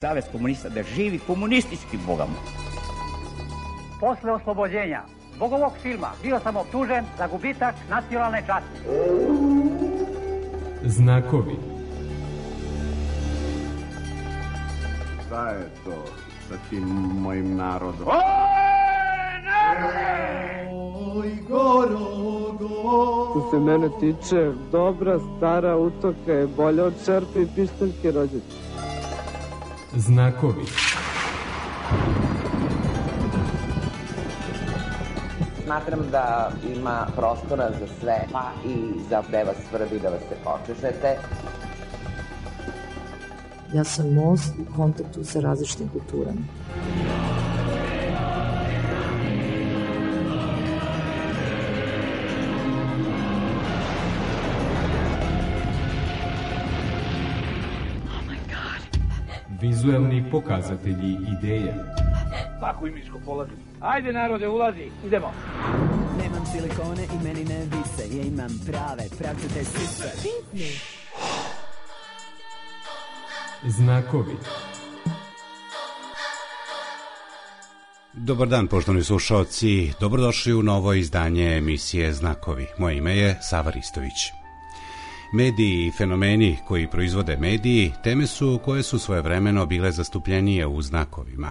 Savez komunista, da živi komunistički bogamo. Posle oslobođenja zbog ovog filma bio sam optužen za gubitak nacionalne časti. Znakovi. Šta je to sa tim mojim narodom? Oj, Što se mene tiče, dobra stara utoka je bolja od šerpe i pištaljke rođaca. Znakovi. Smatram da ima prostora za sve, pa i za da vas svrbi, da vas se počešete. Ja sam most u kontaktu sa različitim kulturama. Vizuelni pokazatelji ideje. Svaku imičku polazi. Ajde narode, ulazi, idemo. Nemam silikone i meni ne vise, ja imam prave, pravcate sise. Znakovi. Dobar dan, poštovani slušaoci. Dobrodošli u novo izdanje emisije Znakovi. Moje ime je Sava Ristović. Mediji i fenomeni koji proizvode mediji teme su koje su svojevremeno bile zastupljenije u znakovima.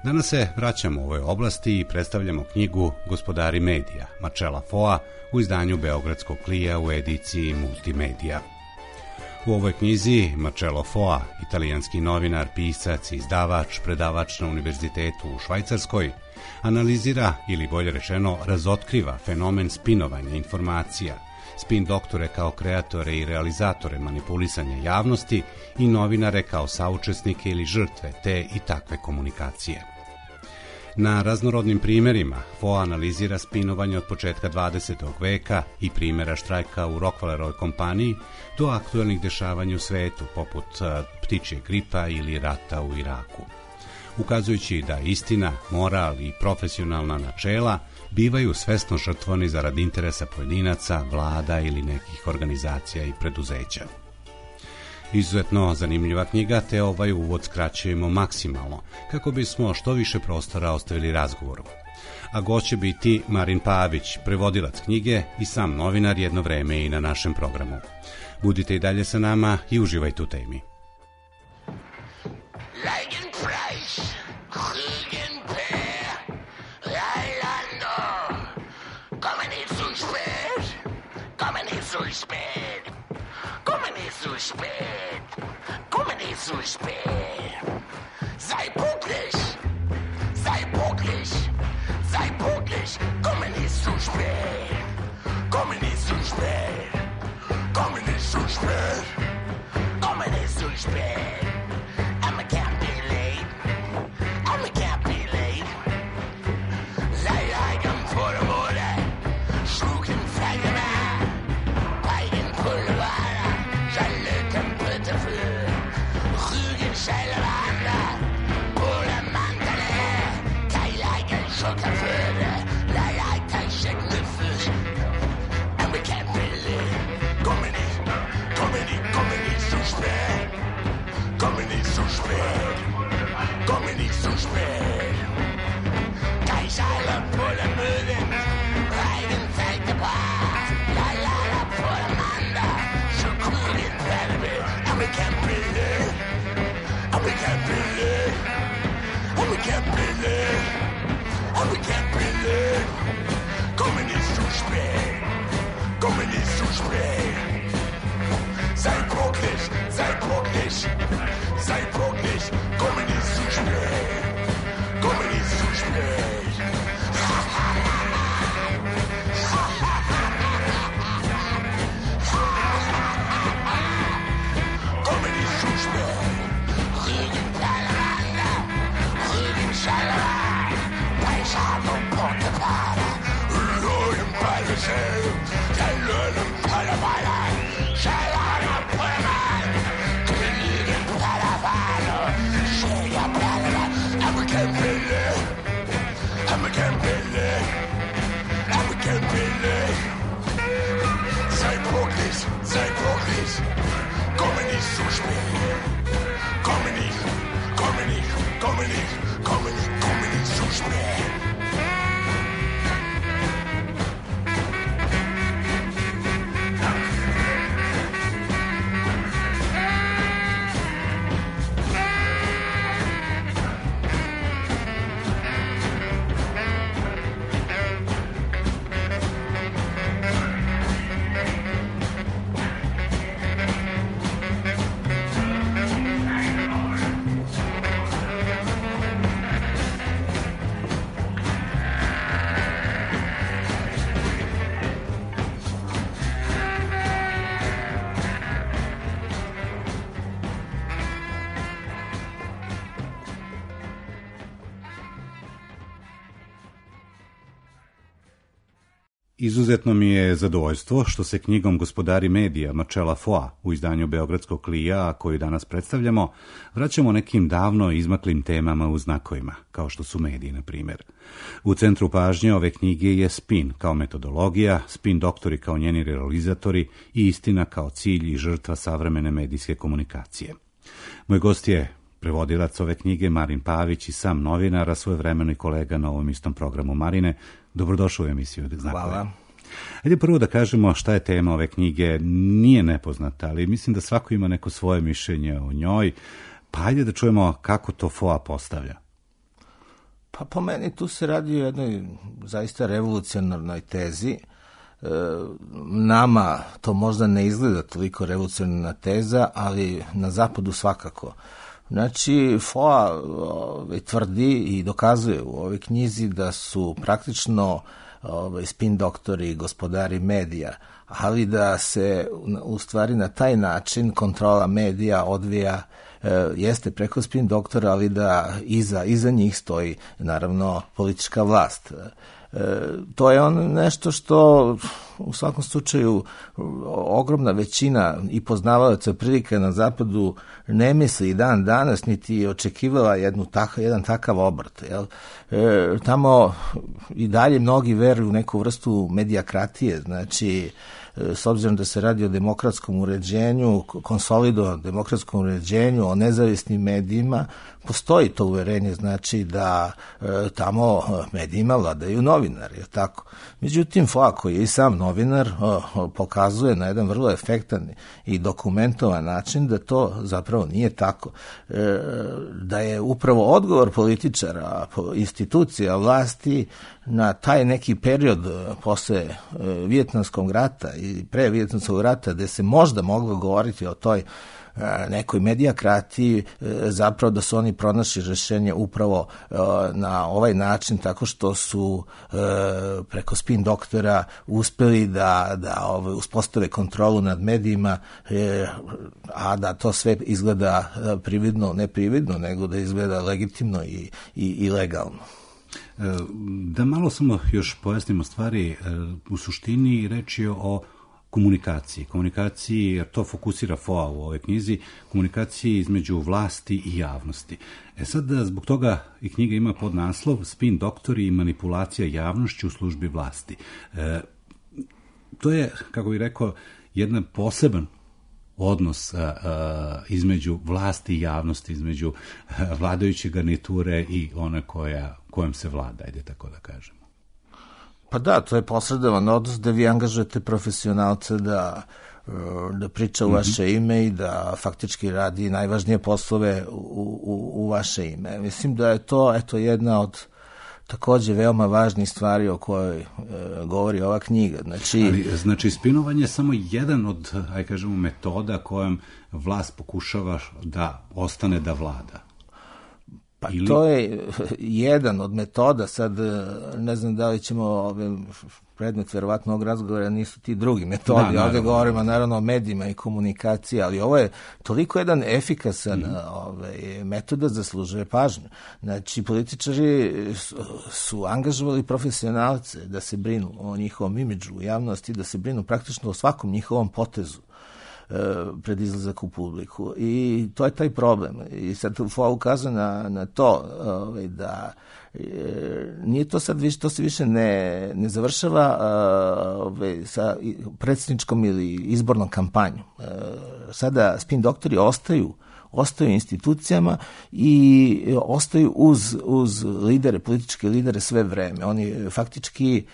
Danas se vraćamo u ovoj oblasti i predstavljamo knjigu Gospodari medija, Marcella Foa, u izdanju Beogradskog klija u ediciji Multimedija. U ovoj knjizi Marcello Foa, italijanski novinar, pisac i izdavač, predavač na univerzitetu u Švajcarskoj, analizira ili bolje rečeno razotkriva fenomen spinovanja informacija, spin doktore kao kreatore i realizatore manipulisanja javnosti i novinare kao saučesnike ili žrtve te i takve komunikacije. Na raznorodnim primjerima Foa analizira spinovanje od početka 20. veka i primjera štrajka u Rockefellerovoj kompaniji do aktuelnih dešavanja u svetu poput ptičje gripa ili rata u Iraku. Ukazujući da istina, moral i profesionalna načela bivaju svesno žrtvovani zarad interesa pojedinaca, vlada ili nekih organizacija i preduzeća. Izuzetno zanimljiva knjiga, te ovaj uvod skraćujemo maksimalno, kako bismo što više prostora ostavili razgovoru. A gost će biti Marin Pavić, prevodilac knjige i sam novinar jedno vreme i na našem programu. Budite i dalje sa nama i uživajte u temi. Zu spät. Sei pünktlich, sei pünktlich, sei pünktlich. Komme nicht zu spät, komme nicht zu spät, komme nicht zu spät, komme nicht zu spät. I can't be late, I can't be late. Sei eigen vor der Mode, schlucken Feigemann, Peigen Pulver, Schalöten bitte für. Scheilewanda, Pole Mandale, Keileigen Schockerföde, Leiter Schecknüffel. And we can't believe, komm nicht zu spät, komm nicht zu spät, komm nicht zu spät. Keischale, Pole Möden, Reigenfeld gebracht, Lalala, Pole Manda, Schokurien, Werbe, and we can't believe. We can't believe, we can't believe, we can't believe. Komme nicht zu spät, komme nicht zu spät. Sei pünktlich, sei pünktlich, sei pünktlich. Komme nicht zu spät, komme nicht zu spät. Komme nicht zu spät. Sei pünktlich, komme nicht zu spät, komme nicht Izuzetno mi je zadovoljstvo što se knjigom Gospodari medija Marcela Foa u izdanju Beogradskog klija, koju danas predstavljamo, vraćamo nekim davno izmaklim temama u znakovima, kao što su mediji, na primjer. U centru pažnje ove knjige je spin kao metodologija, spin doktori kao njeni realizatori i istina kao cilj i žrtva savremene medijske komunikacije. Moj gost je prevodilac ove knjige Marin Pavić i sam novinar, a svojevremeno i kolega na ovom istom programu. Marine, dobrodošao u emisiju Znakove. Hvala. Ajde prvo da kažemo šta je tema ove knjige. Nije nepoznata, ali mislim da svako ima neko svoje mišljenje o njoj. Pa ajde da čujemo kako to Foa postavlja. Pa po meni tu se radi o jednoj zaista revolucionarnoj tezi. Nama to možda ne izgleda toliko revolucionarna teza, ali na zapadu svakako. Znači, Foa tvrdi i dokazuje u ovoj knjizi da su praktično spin doktori, gospodari medija, ali da se u stvari na taj način kontrola medija odvija jeste preko spin doktora, ali da iza njih stoji naravno politička vlast. To je nešto što u svakom slučaju ogromna većina i poznavaoca prilike na zapadu ne misli i dan danas, niti očekivala jedan takav obrt. Jel? Tamo i dalje mnogi veruju u neku vrstu medijokratije, znači s obzirom da se radi o demokratskom uređenju, konsolidovanom demokratskom uređenju, o nezavisnim medijima, postoji to uverenje, znači da tamo medijima vladaju novinari, je tako? Međutim, Foa, koji je i sam novinar, pokazuje na jedan vrlo efektan i dokumentovan način da to zapravo nije tako. Da je upravo odgovor političara, institucija, vlasti na taj neki period posle Vijetnamskog rata i pre Vijetnamskog rata, gde se možda moglo govoriti o toj nekoj medijokratiji, zapravo da su oni pronašli rešenje upravo na ovaj način, tako što su preko spin doktora uspeli da uspostave kontrolu nad medijima, a da to sve izgleda prividno, ne prividno, nego da izgleda legitimno i legalno. Da malo samo još pojasnimo stvari, u suštini reč je o komunikaciji, jer to fokusira Foa u ovoj knjizi, komunikaciji između vlasti i javnosti. Sad, zbog toga i knjiga ima podnaslov Spin doktori i manipulacija javnošću u službi vlasti. To je, kako bih rekao, jedan poseban odnos između vlasti i javnosti, između vladajuće garniture i one kojom se vlada, ajde tako da kažemo. Pa da, to je posredovan odnos da vi angažujete profesionalce da priča u vaše ime i da faktički radi najvažnije poslove u vaše ime. Mislim da je to jedna od takođe veoma važnih stvari o kojoj govori ova knjiga. Znači, spinovanje je samo jedan od, aj kažemo, metoda kojom vlast pokušava da ostane da vlada. Pa to je jedan od metoda, sad ne znam da li ćemo predmet verovatno ovog razgovora nisu ti drugi metodi, ovdje govorimo naravno o medijima i komunikaciji, ali ovo je toliko jedan efikasan metoda zaslužuje pažnju. Znači, političari su angažovali profesionalce da se brinu o njihovom imidžu u javnosti, da se brinu praktično o svakom njihovom potezu pred izlazak u publiku. I to je taj problem. I sad Foa ukazuje na to da nije to sad više, to se više ne završava sa predsjedničkom ili izbornom kampanjom. Sada spin doktori ostaju institucijama i ostaju uz lidere, političke lidere sve vreme. Oni faktički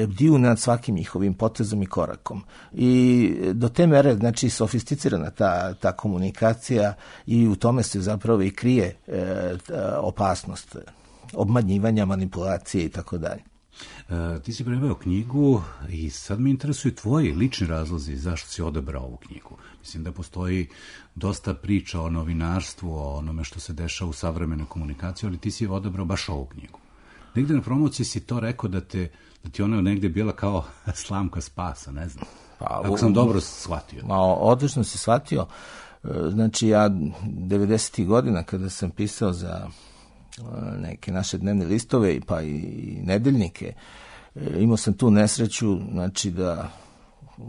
bdiju nad svakim njihovim potezom i korakom. I do te mere, znači, sofisticirana ta komunikacija i u tome se zapravo i krije opasnost obmanjivanja, manipulacije i tako dalje. Ti si preveo knjigu i sad me interesuju tvoji lični razlozi zašto si odabrao ovu knjigu. Mislim da postoji dosta priča o novinarstvu, o onome što se dešava u savremenoj komunikaciji, ali ti si odabrao baš ovu knjigu. Negde na promociji si to rekao da ti ona negde bila kao slamka spasa, ne znam. Ako sam dobro shvatio. Odlično si shvatio. Znači, ja 90. godina kada sam pisao za neke naše dnevne listove pa i nedeljnike, imao sam tu nesreću, znači da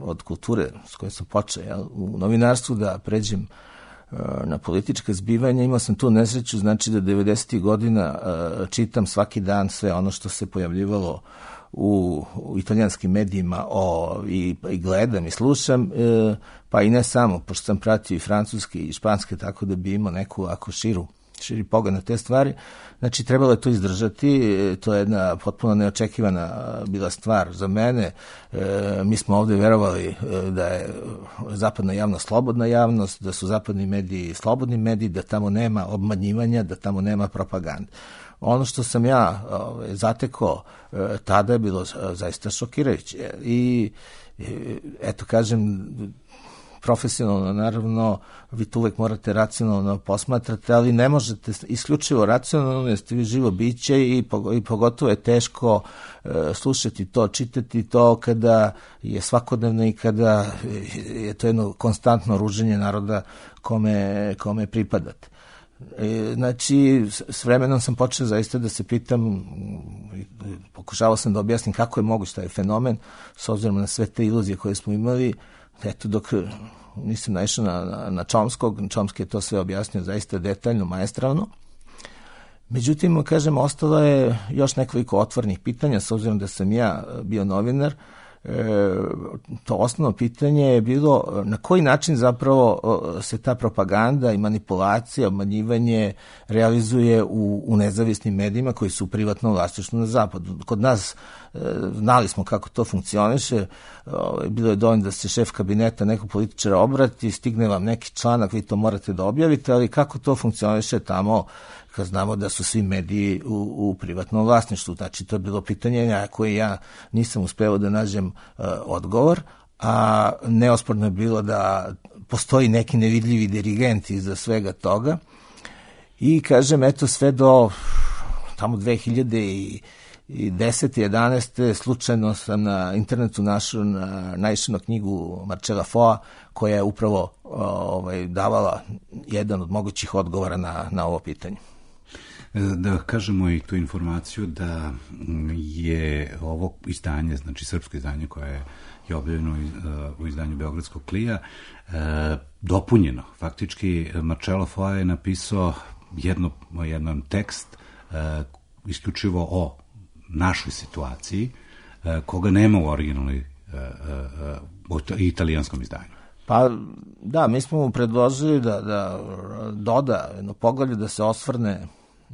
od kulture s kojom sam počeo u novinarstvu da pređem na politička zbivanja, imao sam tu nesreću, znači da 90. godina čitam svaki dan sve ono što se pojavljivalo u italijanskim medijima i gledam i slušam, pa i ne samo, pošto sam pratio i francuski i španski, tako da bi imao neku ako širi pogled na te stvari. Znači, trebalo je to izdržati, to je jedna potpuno neočekivana bila stvar za mene. Mi smo ovde verovali da je zapadna javnost slobodna javnost, da su zapadni mediji slobodni mediji, da tamo nema obmanjivanja, da tamo nema propagande. Ono što sam ja zatekao tada je bilo zaista šokirajuće. I eto, kažem, profesionalno, naravno, vi to uvek morate racionalno posmatrati, ali ne možete isključivo racionalno, jer ste vi živo biće i pogotovo je teško slušati to, čitati to kada je svakodnevno i kada je to jedno konstantno ruženje naroda kome pripadate. Znači, s vremenom sam počeo zaista da se pitam, pokušavao sam da objasnim kako je moguć taj fenomen, s obzirom na sve te iluzije koje smo imali. Eto, dok nisam naišao na Chomskog, Chomsky je to sve objasnio zaista detaljno, maestralno. Međutim, kažem, ostalo je još nekoliko otvornih pitanja, s obzirom da sam ja bio novinar. To osnovno pitanje je bilo na koji način zapravo se ta propaganda i manipulacija, obmanjivanje realizuje u nezavisnim medijima koji su u privatnom vlasništvu na zapadu. Kod nas znali smo kako to funkcioniše, bilo je dovoljno da se šef kabineta nekog političara obrati, stigne vam neki članak, vi to morate da objavite, ali kako to funkcioniše tamo kad znamo da su svi mediji u privatnom vlasništvu. Znači, to je bilo pitanje na koje ja nisam uspeo da nađem odgovor, a neosporno je bilo da postoji neki nevidljivi dirigent iza svega toga. I kažem, eto, sve do tamo 2010. 11. slučajno sam na internetu naišao na knjigu Marcela Foa, koja je upravo davala jedan od mogućih odgovora na ovo pitanje. Da kažemo i tu informaciju da je ovo izdanje, znači srpsko izdanje koje je objavljeno u izdanju Beogradskog klija, dopunjeno. Faktički Marcelo Foa je napisao jedan tekst isključivo o našoj situaciji, koga nema u originalnoj italijanskom izdanju. Pa da, mi smo mu predložili da doda jedno poglavlje, da se osvrne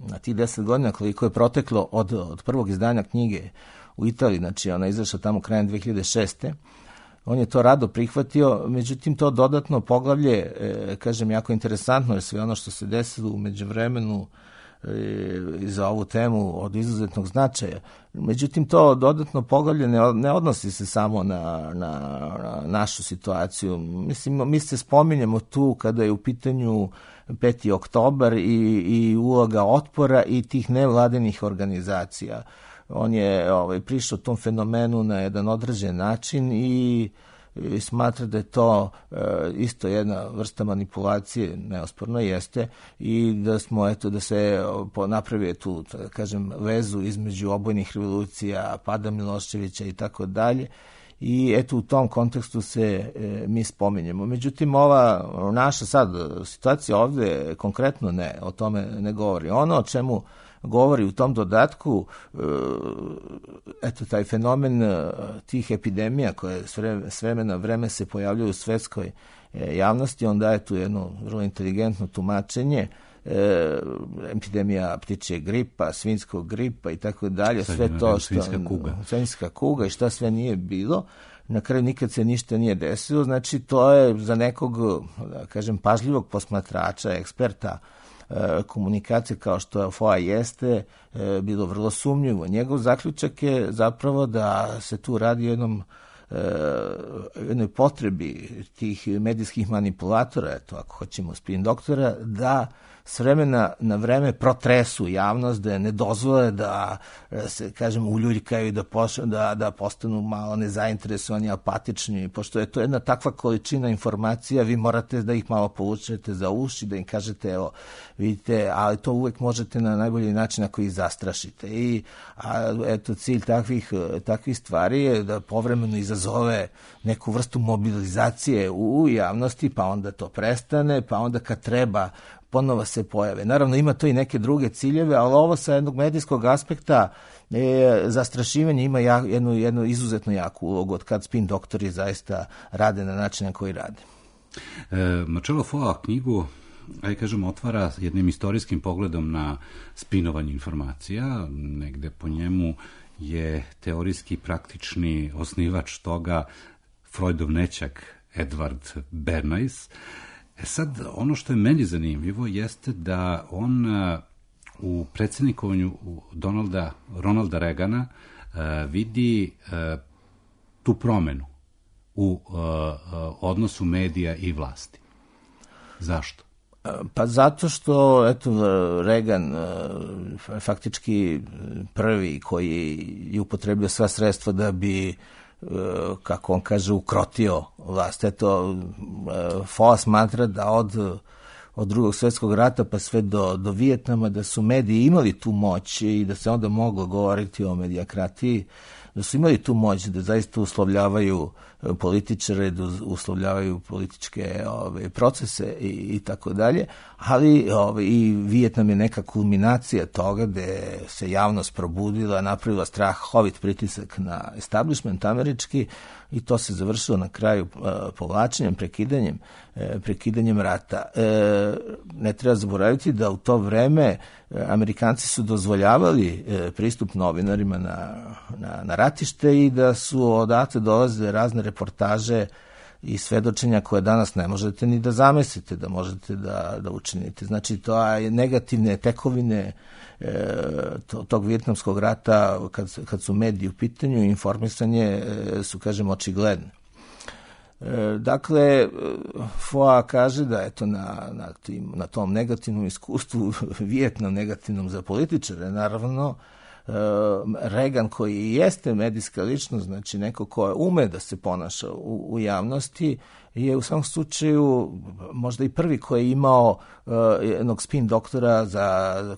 na tih 10 godina koliko je proteklo od prvog izdanja knjige u Italiji, znači ona je izašla tamo krajem 2006. On je to rado prihvatio, međutim to dodatno poglavlje, kažem, jako interesantno, jer sve ono što se desilo u međuvremenu i za ovu temu od izuzetnog značaja. Međutim, to dodatno poglavlje ne odnosi se samo na našu situaciju. Mislim, mi se spominjemo tu kada je u pitanju 5. oktobar i uloga otpora i tih nevladinih organizacija. On je prišao tom fenomenu na jedan određen način i smatra da je to isto jedna vrsta manipulacije, neosporno jeste, i da smo, eto, da se napravi tu, da kažem, vezu između obojnih revolucija, pada Miloševića i tako dalje. I eto, u tom kontekstu se mi spominjemo. Međutim, ova naša sad situacija ovde konkretno o tome ne govori. Ono o čemu govori u tom dodatku, eto, taj fenomen tih epidemija koje s vremena vreme se pojavljuju u svetskoj javnosti, on daje tu jedno vrlo inteligentno tumačenje, epidemija ptičje gripa, svinjskog gripa i tako dalje, sve to što svinjska kuga i šta sve nije bilo, na kraju nikad se ništa nije desilo. Znači, to je za nekog, da kažem, pažljivog posmatrača, eksperta komunikacije kao što Foa jeste, bilo vrlo sumnjivo. Njegov zaključak je zapravo da se tu radi o jednoj potrebi tih medijskih manipulatora, eto, ako hoćemo spin doktora, da s vremena na vreme protresu javnost, da ne dozvole da se, kažem, uljuljkaju i da postanu malo nezainteresovani, apatični, pošto je to jedna takva količina informacija, vi morate da ih malo povučete za uši, da im kažete, evo, vidite, ali to uvek možete na najbolji način ako ih zastrašite. I eto, cilj takvih stvari je da povremeno izazove neku vrstu mobilizacije u javnosti, pa onda to prestane, pa onda kad treba ponovo se pojave. Naravno, ima to i neke druge ciljeve, ali ovo sa jednog medijskog aspekta zastrašivanje ima jednu izuzetno jaku ulogu od kad spin doktori zaista rade na način na koji rade. Marcello Foa knjigu, kažemo, otvara jednim istorijskim pogledom na spinovanje informacija. Negde po njemu je teorijski praktični osnivač toga Freudov nećak Edward Bernays. Sad, ono što je meni zanimljivo jeste da on u predsjednikovanju Ronalda Reagana vidi tu promenu u odnosu medija i vlasti. Zašto? Pa zato što, eto, Reagan faktički prvi koji je upotrebio sva sredstva da bi, kako on kaže, ukrotio vlast. Eto, Foa smatra da od Drugog svjetskog rata pa sve do Vijetnama, da su mediji imali tu moć i da se onda moglo govoriti o medijokratiji, da su imali tu moć da zaista uslovljavaju političare, da uslovljavaju političke procese i tako dalje, ali i Vijetnam je neka kulminacija toga gde se javnost probudila, napravila strahovit pritisak na establishment američki i to se završilo na kraju povlačenjem, prekidanjem rata. Ne treba zaboraviti da u to vreme Amerikanci su dozvoljavali pristup novinarima na ratište i da su odatle dolazile razne reportaže i svedočenja koje danas ne možete ni da zamislite da možete da učinite. Znači, to je negativne tekovine tog vijetnamskog rata, kad su mediji u pitanju, informisanje su, kažem, očigledne. Dakle, Foa kaže da eto na tom negativnom iskustvu, Vijetnam negativnom za političare, naravno, Reagan koji jeste medijska ličnost, znači neko ko ume da se ponaša u javnosti, je u svakom slučaju možda i prvi koji je imao jednog spin doktora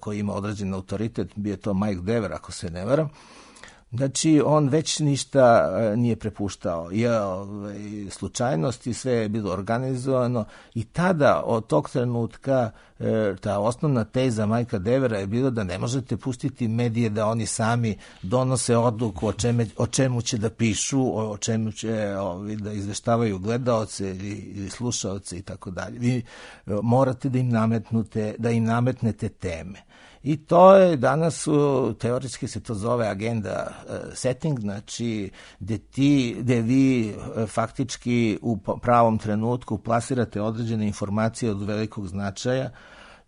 koji ima određen autoritet, bio je to Mike Dever, ako se ne varam. Znači, on već ništa nije prepuštao. Slučajnosti, sve je bilo organizovano i tada, od tog trenutka, ta osnovna teza Majka Devera je bilo da ne možete pustiti medije da oni sami donose odluku o čemu će da pišu, o čemu će da izveštavaju gledaoce ili slušaoce i tako dalje. Vi morate da im nametnete teme. I to je danas, teoretski se to zove agenda setting, znači gde vi faktički u pravom trenutku plasirate određene informacije od velikog značaja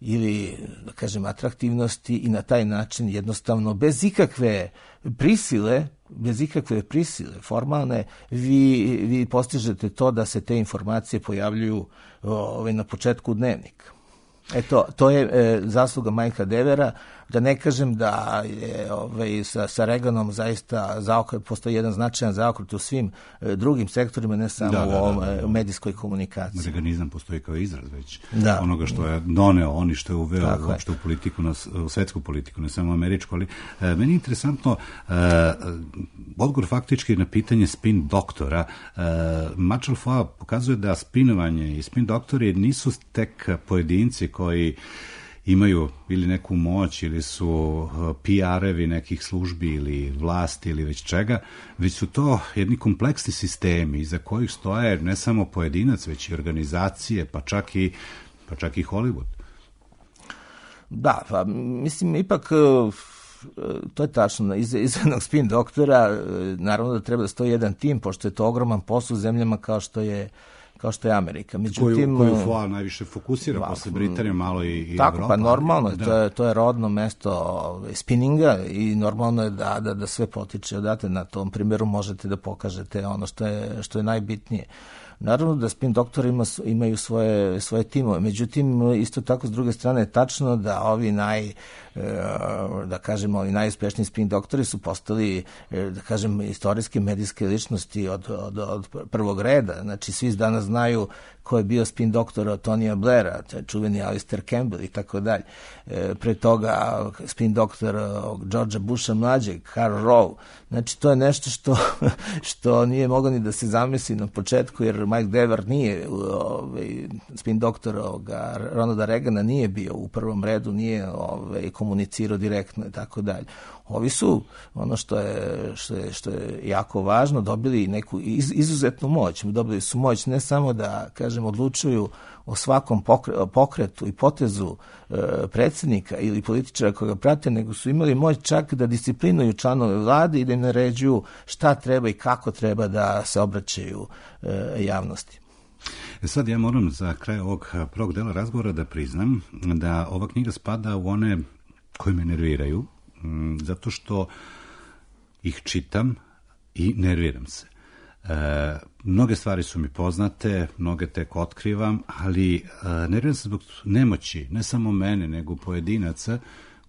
ili, da kažem, atraktivnosti i na taj način jednostavno bez ikakve prisile formalne, vi postižete to da se te informacije pojavljuju na početku dnevnika. Eto, to je zasluga Majka Devera, da ne kažem da je sa Reaganom zaista postoji jedan značajan zaokret u svim drugim sektorima, ne samo u ovom medijskoj komunikaciji. Reaganizam postoji kao izraz već onoga što je doneo, oni što je uveo uopšte u politiku, u svetsku politiku, ne samo američku, ali meni je interesantno odgovor faktički na pitanje spin doktora. Marcello Foa pokazuje da spinovanje i spin doktori nisu tek pojedinci koji imaju ili neku moć ili su PR-evi nekih službi ili vlasti ili već čega, već su to jedni kompleksni sistemi iza kojih stoje ne samo pojedinac, već i organizacije, pa čak i Hollywood. Da, pa mislim, ipak to je tačno, iza jednog spin doktora naravno da treba da stoji jedan tim, pošto je to ogroman posao u zemljama kao što je Amerika. Međutim, koju Foa najviše fokusira posle Britanije, malo i Evropa. Tako, pa normalno, to je rodno mesto spinninga i normalno je da sve potiče odatle. Na tom primjeru možete da pokažete ono što je najbitnije. Naravno da spin doktori imaju svoje timove, međutim isto tako s druge strane je tačno da ovi najuspešniji spin doktori su postali, da kažem, istorijske medijske ličnosti od prvog reda. Znači svi danas znaju ko je bio spin doktor od Tonija Blaira, čuveni Alistair Campbell i tako dalje. Pre toga spin doktor Georgea Busha mlađeg, Karl Rove. Znači to je nešto što nije moglo ni da se zamisli na početku, jer Mike Devers nije, spin doktor Ronalda Reagana nije bio u prvom redu, nije komunicirao direktno i tako dalje. Ovi su, ono što je jako važno, dobili neku izuzetnu moć. Dobili su moć ne samo da, kažem, odlučuju o svakom pokretu i potezu predsjednika ili političara koga prate, nego su imali moć čak da disciplinuju članove vlade i da im naređuju šta treba i kako treba da se obraćaju javnosti. Sad ja moram za kraj ovog prvog dela razgovora da priznam da ova knjiga spada u one koji me nerviraju, zato što ih čitam i nerviram se. Mnoge stvari su mi poznate, mnoge tek otkrivam, ali nerviram se zbog nemoći, ne samo mene, nego pojedinaca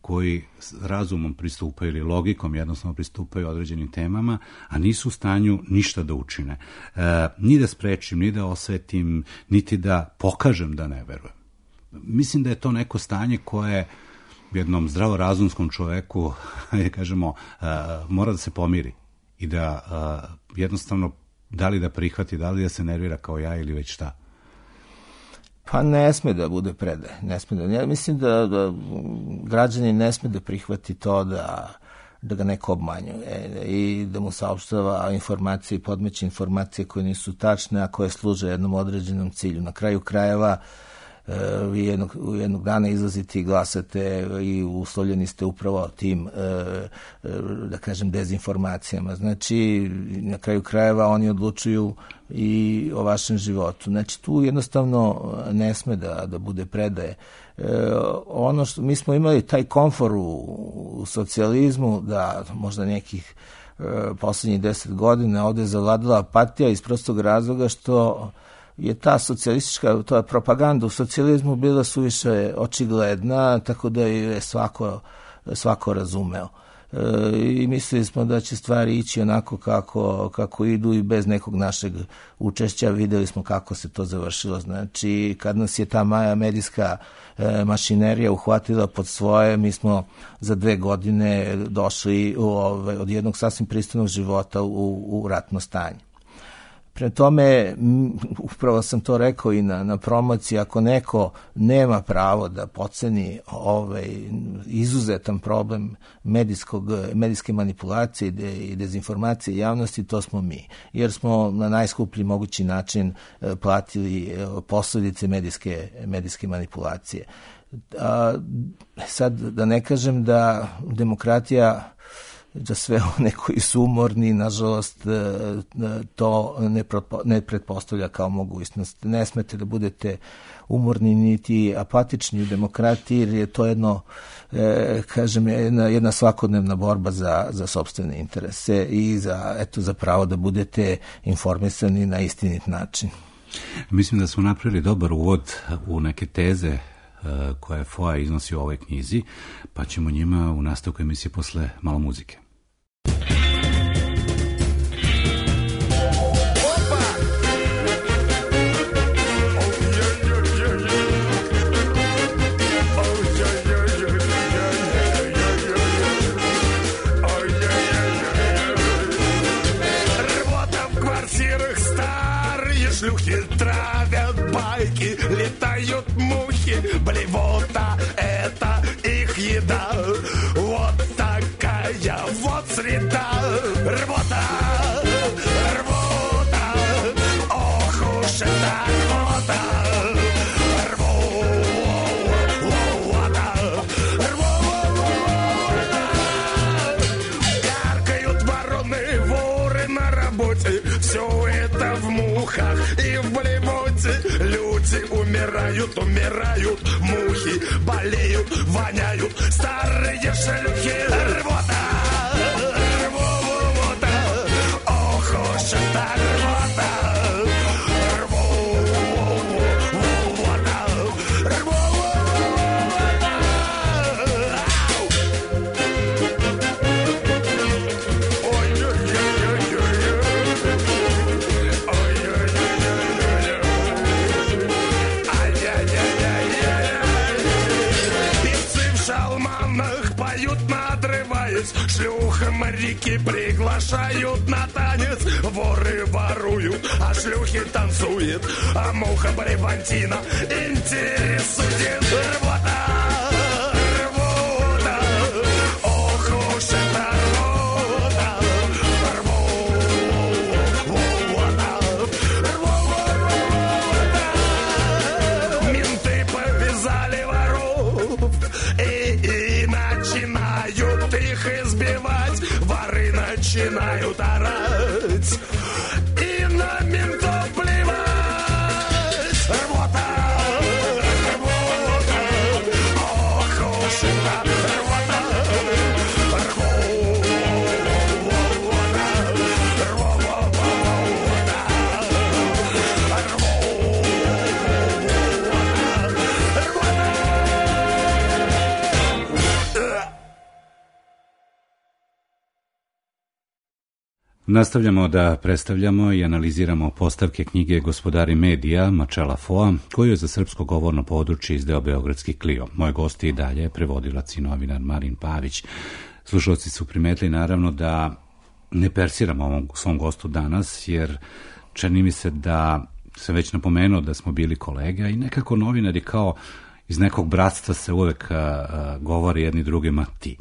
koji razumom pristupaju ili logikom jednostavno pristupaju određenim temama, a nisu u stanju ništa da učine. Ni da sprečim, ni da osvetim, niti da pokažem da ne verujem. Mislim da je to neko stanje koje jednom zdravorazumskom čoveku, kažemo, mora da se pomiri i da jednostavno da li da prihvati, da li da se nervira kao ja ili već šta. Pa ne sme da bude predaje. Ja mislim da građanin ne sme da prihvati to da ga neko obmanjuje i da mu saopštava informacije i podmeće informacije koje nisu tačne, a koje služe jednom određenom cilju. Na kraju krajeva vi jednog dana izlazite i glasate i uslovljeni ste upravo tim, da kažem, dezinformacijama. Znači, na kraju krajeva oni odlučuju i o vašem životu. Znači, tu jednostavno ne sme da bude predaje. Ono što mi smo imali taj komfor u socijalizmu, da možda nekih poslednjih 10 godina ovde zavladala apatija iz prostog razloga što je ta socijalistička, ta propaganda u socijalizmu bila suviše očigledna, tako da je svako razumeo. I mislili smo da će stvari ići onako kako idu i bez nekog našeg učešća. Videli smo kako se to završilo. Znači, kad nas je ta medijska mašinerija uhvatila pod svoje, mi smo za 2 godine došli od jednog sasvim pristojnog života u ratno stanje. Pre tome, upravo sam to rekao i na promociji, ako neko nema pravo da podceni izuzetan problem medijske manipulacije i dezinformacije javnosti, to smo mi. Jer smo na najskuplji mogući način platili posledice medijske manipulacije. Sad, da ne kažem da demokratija, za sve one koji su umorni, nažalost, to ne pretpostavlja kao mogućnost. Ne smete da budete umorni niti apatični u demokratiji, jer je to jedna svakodnevna borba za sopstvene interese i za pravo da budete informisani na istinit način. Mislim da smo napravili dobar uvod u neke teze koje FOA iznosi u ovoj knjizi, pa ćemo njima u nastavku emisije posle malo muzike. Шлюхи травят байки, летают мухи, блевота — это их еда. Вот такая вот среда. Рвота, рвота, ох уж эта рвота. Рвота, рвота. Каркают вороны, воры на работе. Все это в мухах и в блевоте. Люди умирают, мухи болеют, воняют. Старые шлюхи. Рвота, рвота, ох уж эта рвота. волнах поют, надрываясь. Шлюха моряки приглашают на танец. Воры воруют, а шлюхи танцуют. А муха Бревантина интересует. Рвота, рвота, ох уж это рвота. Рвота, рвота. Менты повязали воров и начинают их избивать. Воры начинают орать и на ментов плевать. Рвота, рвота, ох уж это рвота. Nastavljamo da predstavljamo i analiziramo postavke knjige Gospodari medija Marcela Foa, koju je za srpsko govorno područje izdao Beogradski Clio. Moj gost je i dalje prevodilac i novinar Marin Pavić. Slušalci su primetili naravno da ne persiramo ovom svom gostu danas, jer čini mi se da sam već napomenuo da smo bili kolega i nekako novinari kao iz nekog bratstva se uvek govori jedni drugima ti.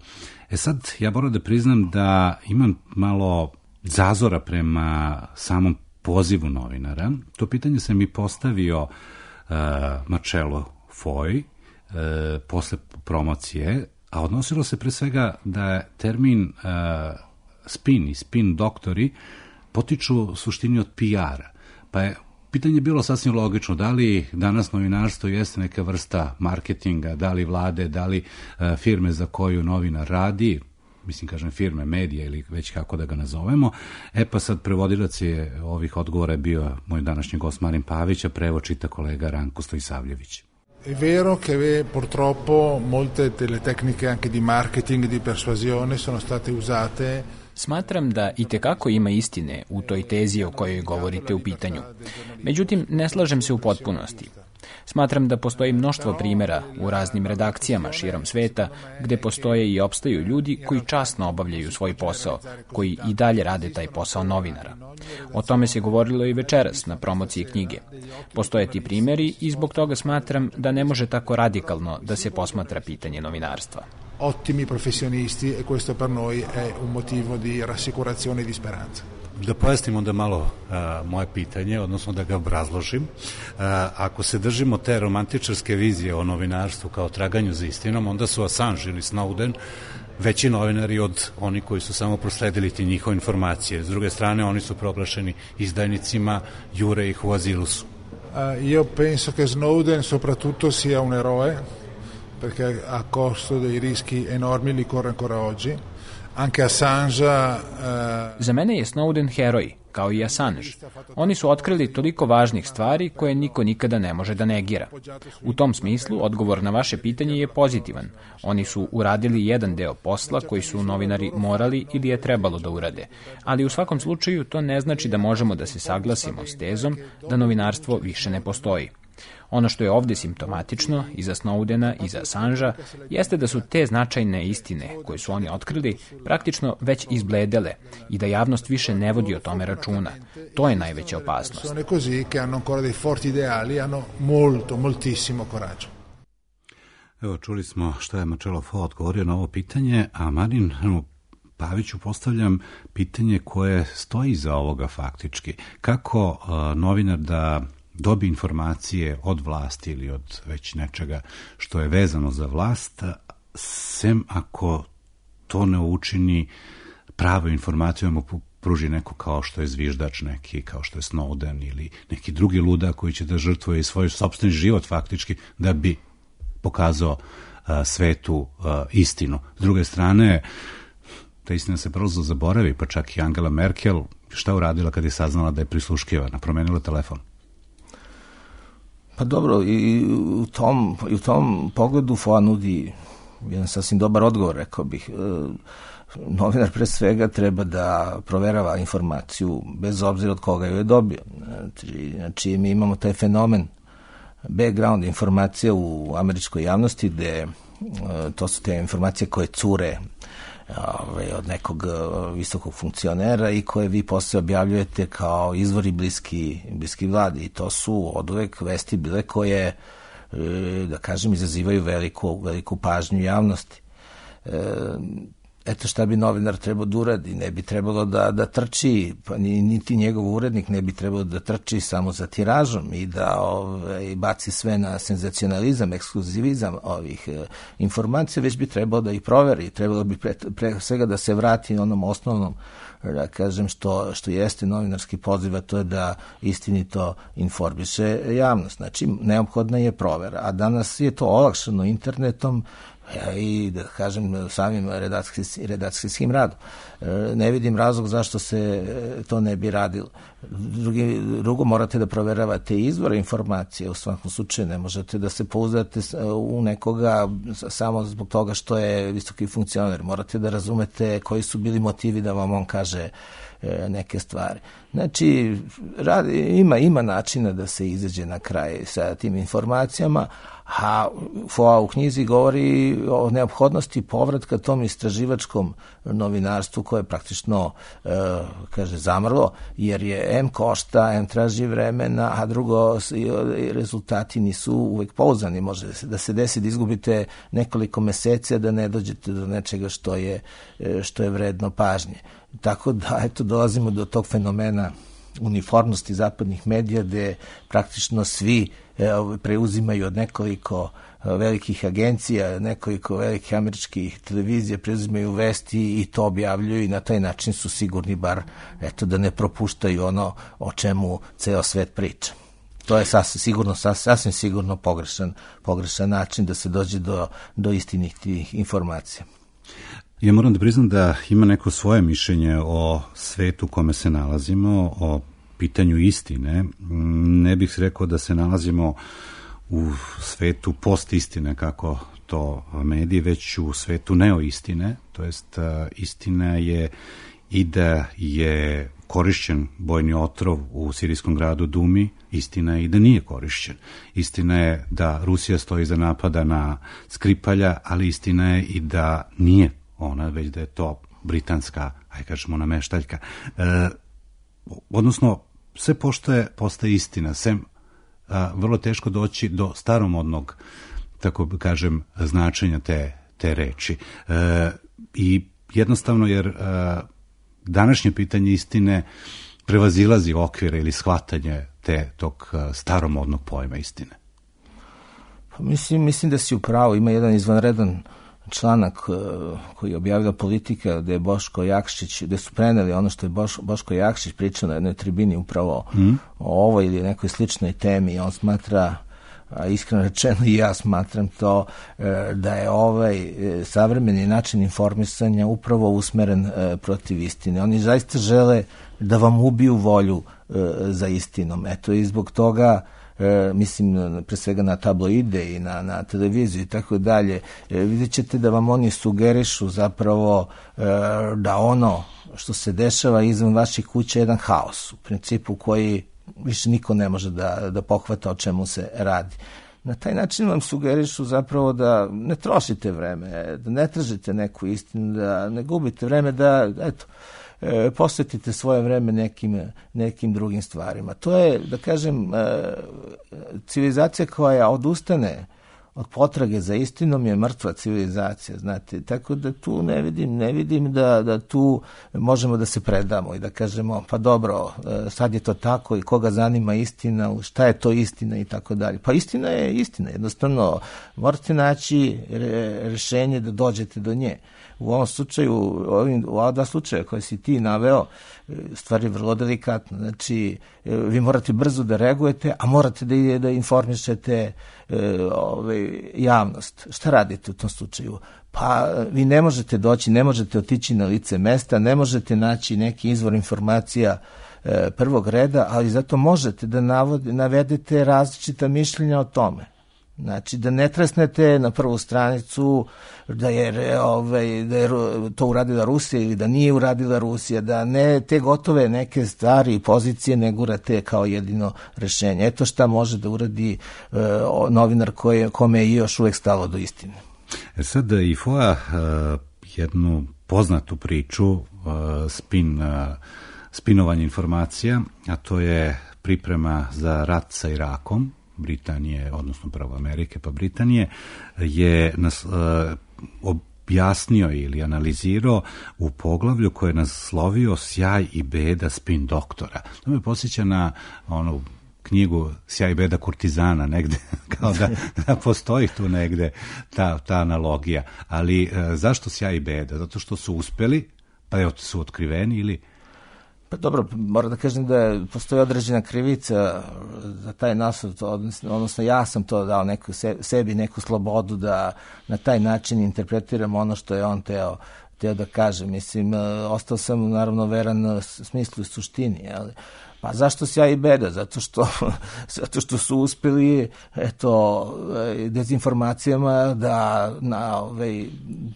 Sad, ja moram da priznam da imam malo zazora prema samom pozivu novinara. To pitanje sam i postavio Marcelu Foi posle promocije, a odnosilo se pre svega da je termin spin i spin doktori potiču u suštini od PR-a. Pa je pitanje bilo sasvim logično, da li danas novinarstvo jeste neka vrsta marketinga, da li vlade, da li firme za koju novinar radi, mislim, kažem, firme, medije ili već kako da ga nazovemo. Pa sad prevodilac je ovih odgovora je bio moj današnji gost Marin Pavić, a prevod čita kolega Ranko Stojsavljević. È vero che purtroppo molte delle tecniche anche di marketing e di persuasione sono state usate. Smatram da itekako ima istine u toj tezi o kojoj govorite u pitanju. Međutim, ne slažem se u potpunosti. Smatram da postoji mnoštvo primjera u raznim redakcijama širom sveta gde postoje i opstaju ljudi koji časno obavljaju svoj posao, koji i dalje rade taj posao novinara. O tome se govorilo i večeras na promociji knjige. Postoje ti primjeri i zbog toga smatram da ne može tako radikalno da se posmatra pitanje novinarstva. Ottimi professionisti e questo per noi è un motivo di rassicurazione e di speranza. Da pojasnim onda malo moje pitanje, odnosno da ga obrazložim. Ako se držimo te romantičarske vizije o novinarstvu kao traganju za istinom, onda su Assange ili Snowden veći novinari od oni koji su samo prosledili ti njihove informacije. S druge strane, oni su proglašeni izdajnicima, jure ih u azilusu. Io penso che Snowden soprattutto sia un eroe, perché a costo dei rischi enormi li corre ancora oggi. Anche Assange... Za mene je Snowden heroj, kao i Assange. Oni su otkrili toliko važnih stvari koje niko nikada ne može da negira. U tom smislu, odgovor na vaše pitanje je pozitivan. Oni su uradili jedan deo posla koji su novinari morali ili je trebalo da urade. Ali u svakom slučaju to ne znači da možemo da se saglasimo s tezom da novinarstvo više ne postoji. Ono što je ovdje simptomatično i za Snowdena i za Assangea jeste da su te značajne istine koje su oni otkrili praktično već izbledele i da javnost više ne vodi o tome računa. To je najveća opasnost. Sono così che hanno ancora dei forti ideali, hanno moltissimo coraggio. Evo, čuli smo što je Marcelo Foa odgovorio na ovo pitanje, a Marin Paviću postavljam pitanje koje stoji iza ovoga faktički. Kako novinar da dobi informacije od vlasti ili od već nečega što je vezano za vlast, sem ako to ne učini pravo informaciju, mu pruži neko kao što je zviždač neki, kao što je Snowden ili neki drugi ludak koji će da žrtvuje i svoj sopstveni život faktički da bi pokazao svetu istinu. S druge strane, ta istina se brzo zaboravi, pa čak i Angela Merkel šta uradila kad je saznala da je prisluškivana? Promenila telefon. Pa dobro, i u tom pogledu Foa nudi jedan sasvim dobar odgovor, rekao bih. Novinar pre svega treba da proverava informaciju bez obzira od koga ju je dobio. Znači, mi imamo taj fenomen background informacija u američkoj javnosti gde to su te informacije koje cure od nekog visokog funkcionera i koje vi posle objavljujete kao izvori bliski vladi, i to su oduvek vesti bile koje, da kažem, izazivaju veliku pažnju javnosti. Eto šta bi novinar trebao da uradi, ne bi trebalo da trči, pa niti njegov urednik ne bi trebalo da trči samo za tiražom i da baci sve na senzacionalizam, ekskluzivizam ovih informacija, već bi trebalo da ih proveri, trebalo bi pre svega da se vrati onom osnovnom, da kažem, što jeste novinarski poziv, a to je da istinito informiše javnost. Znači, neophodna je provera, a danas je to olakšano internetom i, da kažem, samim redakcijskim radom. Ne vidim razlog zašto se to ne bi radilo. Drugo, morate da proveravate izvore informacije, u svakom slučaju ne možete da se pouzdate u nekoga samo zbog toga što je visoki funkcioner. Morate da razumete koji su bili motivi da vam on kaže neke stvari. Znači, ima načina da se izađe na kraj sa tim informacijama, a FOA u knjizi govori o neophodnosti povratka tom istraživačkom novinarstvu koje je praktično, kaže, zamrlo, jer je M košta, M traži vremena, a drugo, rezultati nisu uvek pouzdani. Može da se desi da izgubite nekoliko meseci, da ne dođete do nečega što je vredno pažnje. Tako da, eto, dolazimo do tog fenomena uniformnosti zapadnih medija, gde praktično svi preuzimaju od nekoliko velikih agencija, nekoliko velikih američkih televizija, preuzimaju vesti i to objavljuju, i na taj način su sigurni bar, eto, da ne propuštaju ono o čemu ceo svet priča. To je sasvim sigurno pogrešan način da se dođe do istinitih informacija. Ja moram da priznam da ima neko svoje mišljenje o svetu u kome se nalazimo, o pitanju istine. Ne bih rekao da se nalazimo u svetu postistine, kako to mediji, već u svetu neoistine, to jest istina je i da je korišćen bojni otrov u sirijskom gradu Dumi, istina je i da nije korišćen. Istina je da Rusija stoji za napada na Skripalja, ali istina je i da nije ona, već da je to britanska, aj kažemo, nameštaljka. Odnosno, sve postaje istina, sem vrlo teško doći do staromodnog, tako kažem, značenja te reči. I jednostavno, jer današnje pitanje istine prevazilazi okvire ili shvatanje tog staromodnog pojma istine. Mislim da si u pravu. Ima jedan izvanredan članak koji je objavila Politika, gde je Boško Jakšić, gde su preneli ono što je Boško Jakšić pričao na jednoj tribini upravo o ovoj ili nekoj sličnoj temi. On smatra, a iskreno rečeno i ja smatram to, da je ovaj savremeni način informisanja upravo usmeren protiv istine. Oni zaista žele da vam ubiju volju za istinom. Eto, i zbog toga mislim pre svega na tabloide i na televiziju i tako dalje, vidjet ćete da vam oni sugerišu zapravo da ono što se dešava izvan vaših kuća je jedan haos, u principu koji više niko ne može da pohvata o čemu se radi. Na taj način vam sugerišu zapravo da ne trošite vreme, da ne tražite neku istinu, da ne gubite vreme, da, eto, posvetite svoje vreme nekim drugim stvarima. To je, da kažem, civilizacija koja odustane od potrage za istinom je mrtva civilizacija, znate, tako da tu ne vidim da tu možemo da se predamo i da kažemo, pa dobro, sad je to tako i koga zanima istina, šta je to istina i tako dalje. Pa istina je istina, jednostavno morate naći rešenje da dođete do nje. U ovom slučaju, u ova dva slučaja koje si ti naveo, stvar je vrlo delikatna. Znači, vi morate brzo da reagujete, a morate da informišete javnost. Šta radite u tom slučaju? Pa vi ne možete doći, ne možete otići na lice mesta, ne možete naći neki izvor informacija prvog reda, ali zato možete da navedete različita mišljenja o tome. Znači, da ne tresnete na prvu stranicu da je to uradila Rusija ili da nije uradila Rusija, da ne te gotove neke stvari i pozicije ne gurate kao jedino rešenje. Eto šta može da uradi novinar kome je još uvek stalo do istine. Sad i Foa jednu poznatu priču, spinovanje informacija, a to je priprema za rat sa Irakom, Britanije, odnosno pravo Amerike pa Britanije, je objasnio ili analizirao u poglavlju koje je naslovio Sjaj i beda spin doktora. To me posjeća na onu knjigu Sjaj i beda kurtizana, negde, kao da postoji tu negde ta analogija. Ali zašto sjaj i beda? Zato što su uspeli, pa evo su otkriveni ili... Pa dobro, moram da kažem da postoji određena krivica za taj naslov, odnosno ja sam to dao sebi neku slobodu da na taj način interpretiram ono što je on teo da kaže. Mislim, ostao sam naravno veran smislu i suštini, ali pa zašto sjaj i beda? Zato što su uspeli dezinformacijama da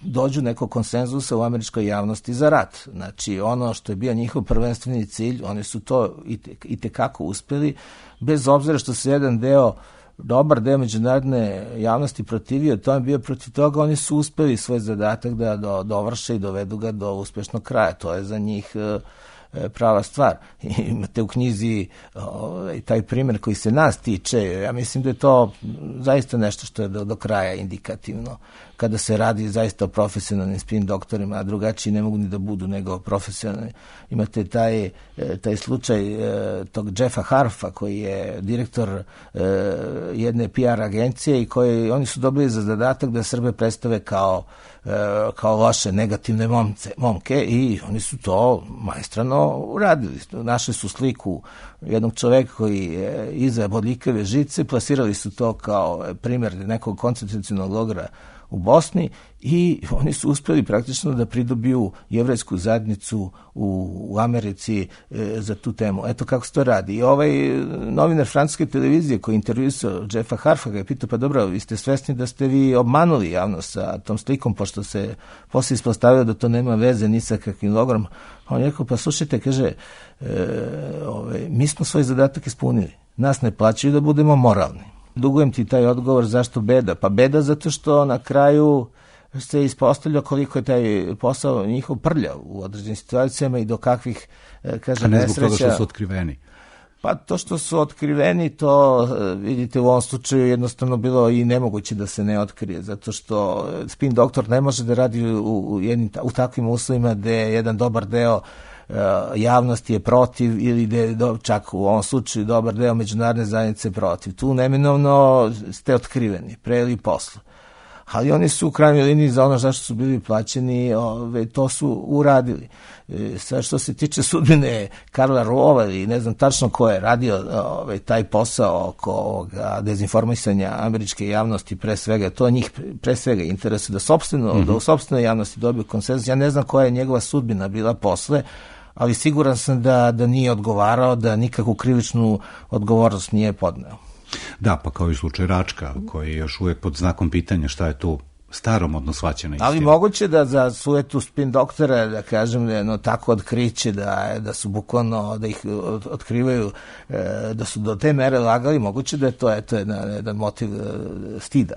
dođu nekog konsenzusa u američkoj javnosti za rat. Znači, ono što je bio njihov prvenstveni cilj, oni su to i tekako uspeli, bez obzira što se jedan dobar deo međunarodne javnosti protivio, to je bio protiv toga, oni su uspeli svoj zadatak da dovrše i dovedu ga do uspešnog kraja. To je za njih prava stvar. Imate u knjizi taj primjer koji se nas tiče, ja mislim da je to zaista nešto što je do kraja indikativno. Kada se radi zaista o profesionalnim spin doktorima, a drugačiji ne mogu ni da budu nego profesionalni. Imate taj slučaj tog Jeffa Harfa koji je direktor jedne PR agencije i oni su dobili za zadatak da Srbe predstave kao loše, negativne momke i oni su to maestrano uradili. Našli su sliku jednog čoveka koji je iza bodljikave žice, plasirali su to kao primjer nekog koncentracionog logora u Bosni i oni su uspeli praktično da pridobiju jevrejsku zajednicu u Americi za tu temu. Eto kako se to radi. I ovaj novinar francuske televizije koji intervjuisao Jeffa Harfa ga je pitao, pa dobro, vi ste svesni da ste vi obmanuli javnost sa tom slikom, pošto se posle ispostavio da to nema veze ni sa kakvim logorom. On je rekao, pa slušajte, kaže, mi smo svoj zadatak ispunili. Nas ne plaćaju da budemo moralni. Dugujem ti taj odgovor, zašto beda? Pa beda zato što na kraju se ispostavlja koliko je taj posao njihov prljav u određenim situacijama i do kakvih, nesreća. A ne zbog toga što su otkriveni? Pa to što su otkriveni, to vidite u ovom slučaju jednostavno bilo i nemoguće da se ne otkrije, zato što spin doktor ne može da radi u takvim uslovima gde jedan dobar deo javnosti je protiv ili da je čak u ovom slučaju dobar deo međunarodne zajednice protiv. Tu neminovno ste otkriveni, pre ili posle. Ali oni su u krajnjoj liniji za ono zašto su bili plaćeni, to su uradili. Sad što se tiče sudbine Karla Rova ili ne znam tačno ko je radio taj posao oko dezinformisanja američke javnosti, pre svega, to njih pre svega interesuje da u sopstvenoj javnosti dobiju konsenzus. Ja ne znam koja je njegova sudbina bila posle, ali siguran sam da nije odgovarao, da nikakvu krivičnu odgovornost nije podneo. Da, pa kao i slučaj Račka, koji je još uvijek pod znakom pitanja šta je tu staromodno shvaćena istina. Ali moguće da za sujetu spin doktora, da kažem, tako otkriće da su bukvalno, da ih otkrivaju, da su do te mere lagali, moguće da je to jedan motiv stida.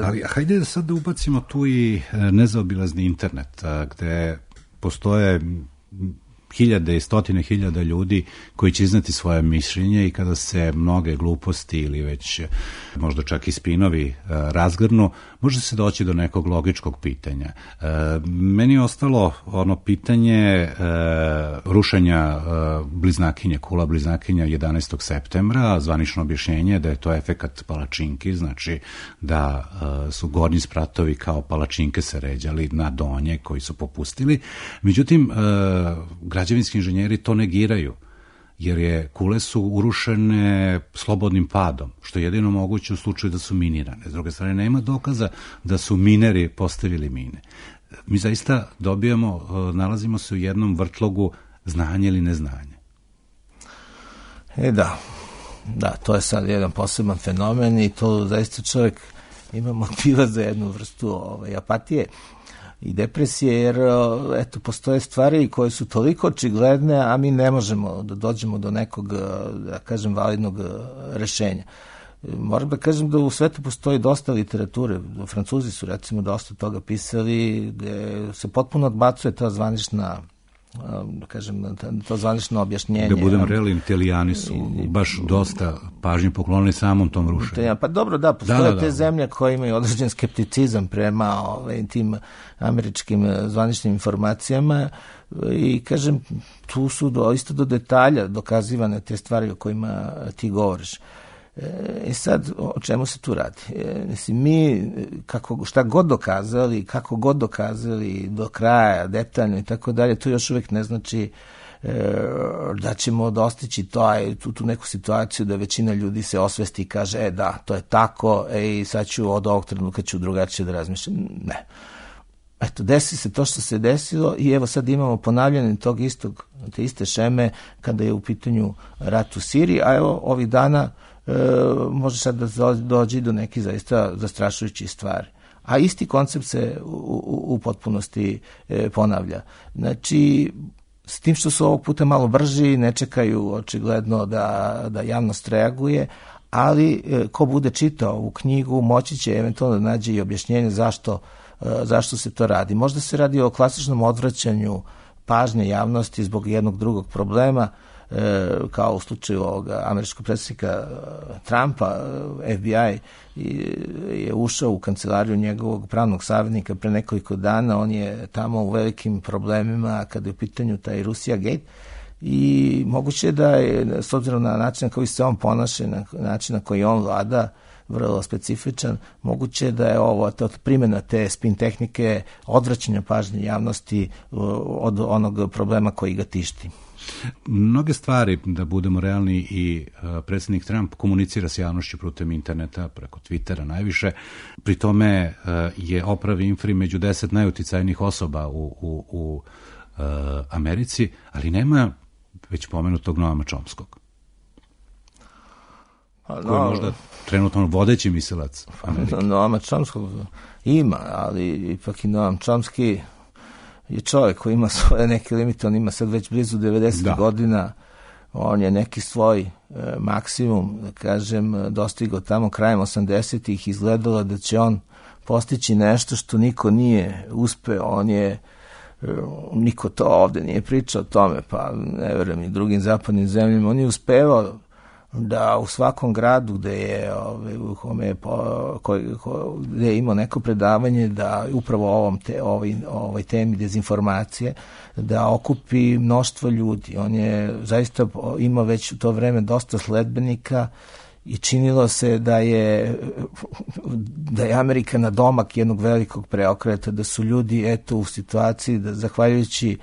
Ali hajde da sad ubacimo tu i nezaobilazni internet, gde postoje hiljade i stotine hiljada ljudi koji će iznati svoje mišljenje i kada se mnoge gluposti ili već možda čak i spinovi razgrnu, može se doći do nekog logičkog pitanja. Meni je ostalo ono pitanje rušenja bliznakinje, kula bliznakinja 11. septembra, zvanično objašnjenje da je to efekat palačinki, znači da su gornji spratovi kao palačinke se ređali na donje koji su popustili. Međutim, građevinski inženjeri to negiraju, jer kule su urušene slobodnim padom, što je jedino moguće u slučaju da su minirane. S druge strane, nema dokaza da su mineri postavili mine. Mi zaista nalazimo se u jednom vrtlogu znanje ili neznanje. Da, to je sad jedan poseban fenomen i to zaista čovjek ima motiva za jednu vrstu apatije i depresije, jer postoje stvari koje su toliko očigledne, a mi ne možemo da dođemo do nekog, da kažem, validnog rešenja. Moram da kažem da u svetu postoji dosta literature. Francuzi su recimo dosta toga pisali, gde se potpuno odbacuje ta zvanična, da kažem, to zvanično objašnjenje. Da budem realan, Italijani su baš dosta pažnje poklonili samom tom rušenju. Pa dobro, da, postoje te zemlje koje imaju određen skepticizam prema tim američkim zvaničnim informacijama i kažem, tu su isto do detalja dokazivane te stvari o kojima ti govoriš. I sad, o čemu se tu radi? Mi, šta god dokazali, kako god dokazali do kraja, detaljno i tako dalje, to još uvijek ne znači da ćemo dostići tu neku situaciju da većina ljudi se osvesti i kaže, da, to je tako, i sad ću od ovog trenutka ću drugačije da razmišljam. Ne. Eto, desi se to što se desilo i evo sad imamo ponavljanje te iste šeme kada je u pitanju rat u Siriji, a evo ovih dana može sad da dođe do nekih zaista zastrašujućih stvari. A isti koncept se u potpunosti ponavlja. Znači, s tim što su ovog puta malo brži, ne čekaju očigledno da javnost reaguje, ali ko bude čitao ovu knjigu moći će eventualno da nađe i objašnjenje zašto se to radi. Možda se radi o klasičnom odvraćanju pažnje javnosti zbog jednog drugog problema, kao u slučaju ovoga američkog predsjednika Trumpa. FBI je ušao u kancelariju njegovog pravnog savjetnika pre nekoliko dana, on je tamo u velikim problemima kada je u pitanju taj Russia Gate i moguće da je, s obzirom na način na koji se on ponaša, na način na koji on vlada, vrlo specifičan, moguće da je ovo primjena te spin tehnike odvraćanja pažnje javnosti od onog problema koji ga tišti. Mnoge stvari, da budemo realni, i predsjednik Trump komunicira s javnošću putem interneta, preko Twittera najviše. Pri tome je Oprah Winfrey među 10 najuticajnijih osoba u Americi, ali nema već pomenutog Noama Chomskog. Koji je možda trenutno vodeći mislilac Amerike. Noama Chomskog ima, ali ipak i Noam Chomsky je čovjek koji ima svoje neke limite, on ima sad već blizu 90 godina, on je neki svoj maksimum, da kažem, dostigao tamo krajem 80-ih, izgledalo da će on postići nešto što niko nije uspeo, niko to ovde nije pričao o tome, pa ne verujem i drugim zapadnim zemljama, on je uspevao da u svakom gradu gde je imao neko predavanje, da upravo ovoj temi dezinformacije, da okupi mnoštvo ljudi. On je zaista imao već u to vreme dosta sledbenika i činilo se da je Amerika na domak jednog velikog preokreta, da su ljudi u situaciji da zahvaljujući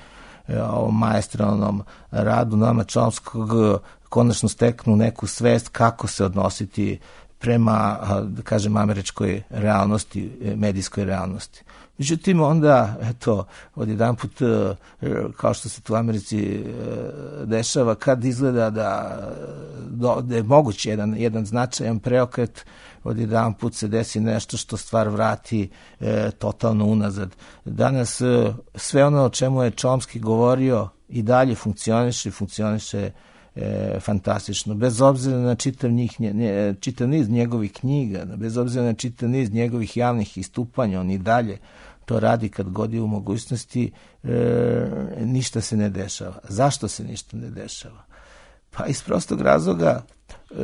ovom maestralnom radu Noama Chomskog konačno steknu neku svest kako se odnositi prema, da kažem, američkoj realnosti, medijskoj realnosti. Međutim, onda, odjedanput, kao što se tu u Americi dešava, kad izgleda da je moguće jedan značajan preokret, odjedanput se desi nešto što stvar vrati totalno unazad. Danas sve ono o čemu je Chomsky govorio i dalje funkcioniše fantastično, bez obzira na čitav niz njegovih knjiga, bez obzira na čitav niz njegovih javnih istupanja, on i dalje to radi kad god je u mogućnosti, ništa se ne dešava. Zašto se ništa ne dešava? Pa iz prostog razloga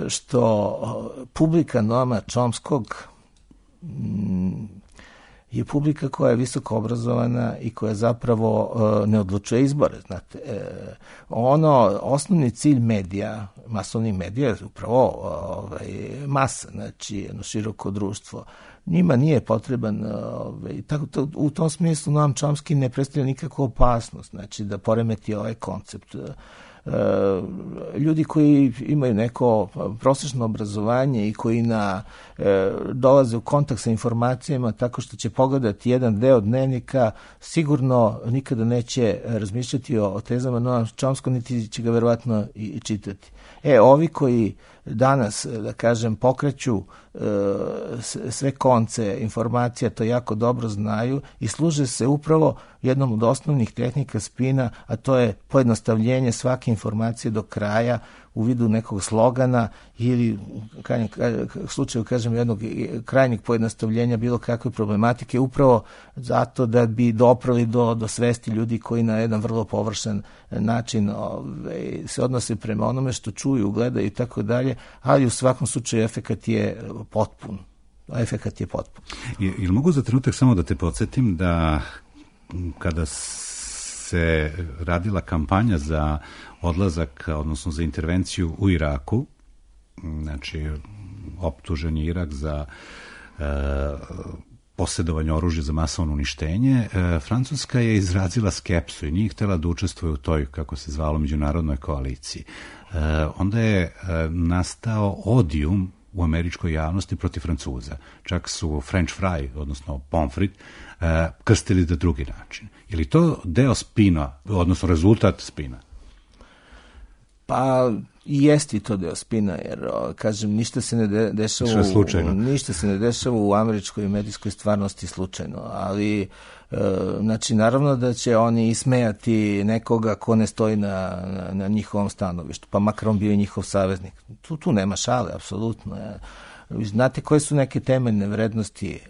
što publika Noama Chomskog je publika koja je visoko obrazovana i koja zapravo ne odlučuje izbore. Znate, osnovni cilj medija, masovnih medija je upravo masa, znači jedno široko društvo. Njima nije potreban, u tom smislu Noam Chomsky ne predstavlja nikakvu opasnost, znači da poremeti ovaj koncept. Ljudi koji imaju neko prosječno obrazovanje i koji dolaze u kontakt sa informacijama tako što će pogledati jedan deo dnevnika, sigurno nikada neće razmišljati o tezama Noama Chomskog, niti će ga verovatno i čitati. Ovi koji danas, da kažem, pokreću sve konce informacija, to jako dobro znaju i služe se upravo jednom od osnovnih tehnika spina, a to je pojednostavljenje svake informacije do kraja u vidu nekog slogana ili u slučaju, kažem, jednog krajnjeg pojednostavljenja bilo kakve problematike, upravo zato da bi doprali do svesti ljudi koji na jedan vrlo površan način se odnose prema onome što čuju, gledaju i tako dalje, ali u svakom slučaju efekat je potpun. Efekat je potpun. Ili mogu za trenutak samo da te podsjetim da kada se radila kampanja za odlazak, odnosno za intervenciju u Iraku, znači optužen je Irak za posjedovanje oružja za masovno uništenje, Francuska je izrazila skepsu i nije htjela da učestvuje u toj, kako se zvalo, međunarodnoj koaliciji. Onda je nastao odijum u američkoj javnosti protiv Francuza. Čak su French fry, odnosno pomfrit, krstili na drugi način. Je li to deo spina, odnosno rezultat spina? Pa i jeste to deo spina, jer, kažem, ništa se ne dešava u američkoj medijskoj stvarnosti slučajno, ali znači, naravno da će oni ismejati nekoga ko ne stoji na njihovom stanovištu, pa makar on bio i njihov saveznik. Tu nema šale, apsolutno. Znate koje su neke temeljne vrednosti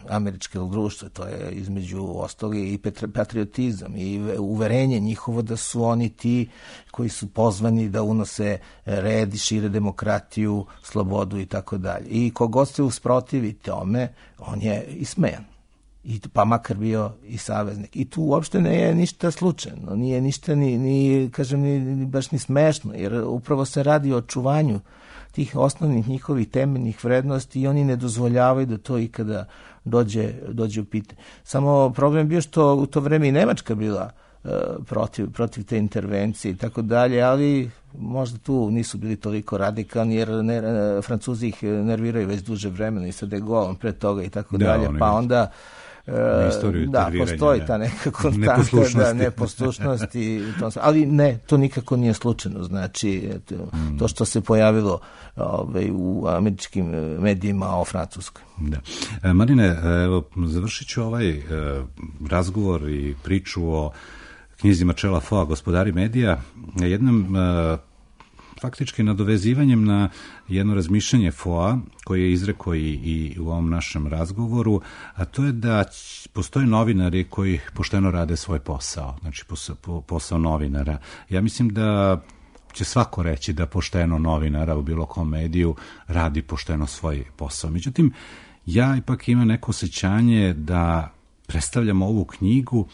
američkog društva? To je između ostali i patriotizam i uverenje njihovo da su oni ti koji su pozvani da unose red i šire demokratiju, slobodu i tako dalje. I kogod se usprotivi tome, on je ismejan. I pa makar bio i saveznik. I tu uopšte ne je ništa slučajno, nije ništa ni kažem, ni baš ni smešno, jer upravo se radi o očuvanju tih osnovnih njihovih temeljnih vrednosti i oni ne dozvoljavaju da to ikada dođe u pitanje. Samo problem bio što u to vreme i Nemačka bila protiv te intervencije i tako dalje, ali možda tu nisu bili toliko radikalni, jer Francuzi ih nerviraju već duže vremena i sa De Gaulom pre toga i tako dalje, pa onda postoji ta neka konstanta neposlušnosti, ali ne, to nikako nije slučajno. Znači, to što se pojavilo u američkim medijima o Francuskoj. Da. Marine, evo, završit ću ovaj razgovor i priču o knjizi Marcela Foa, Gospodari medija, jednom faktički nadovezivanjem na jedno razmišljanje Foa koje je izrekao i u ovom našem razgovoru, a to je da postoje novinari koji pošteno rade svoj posao, znači posao novinara. Ja mislim da će svako reći da pošteno novinara u bilo kom mediju radi pošteno svoj posao. Međutim, ja ipak imam neko osjećanje da predstavljam ovu knjigu,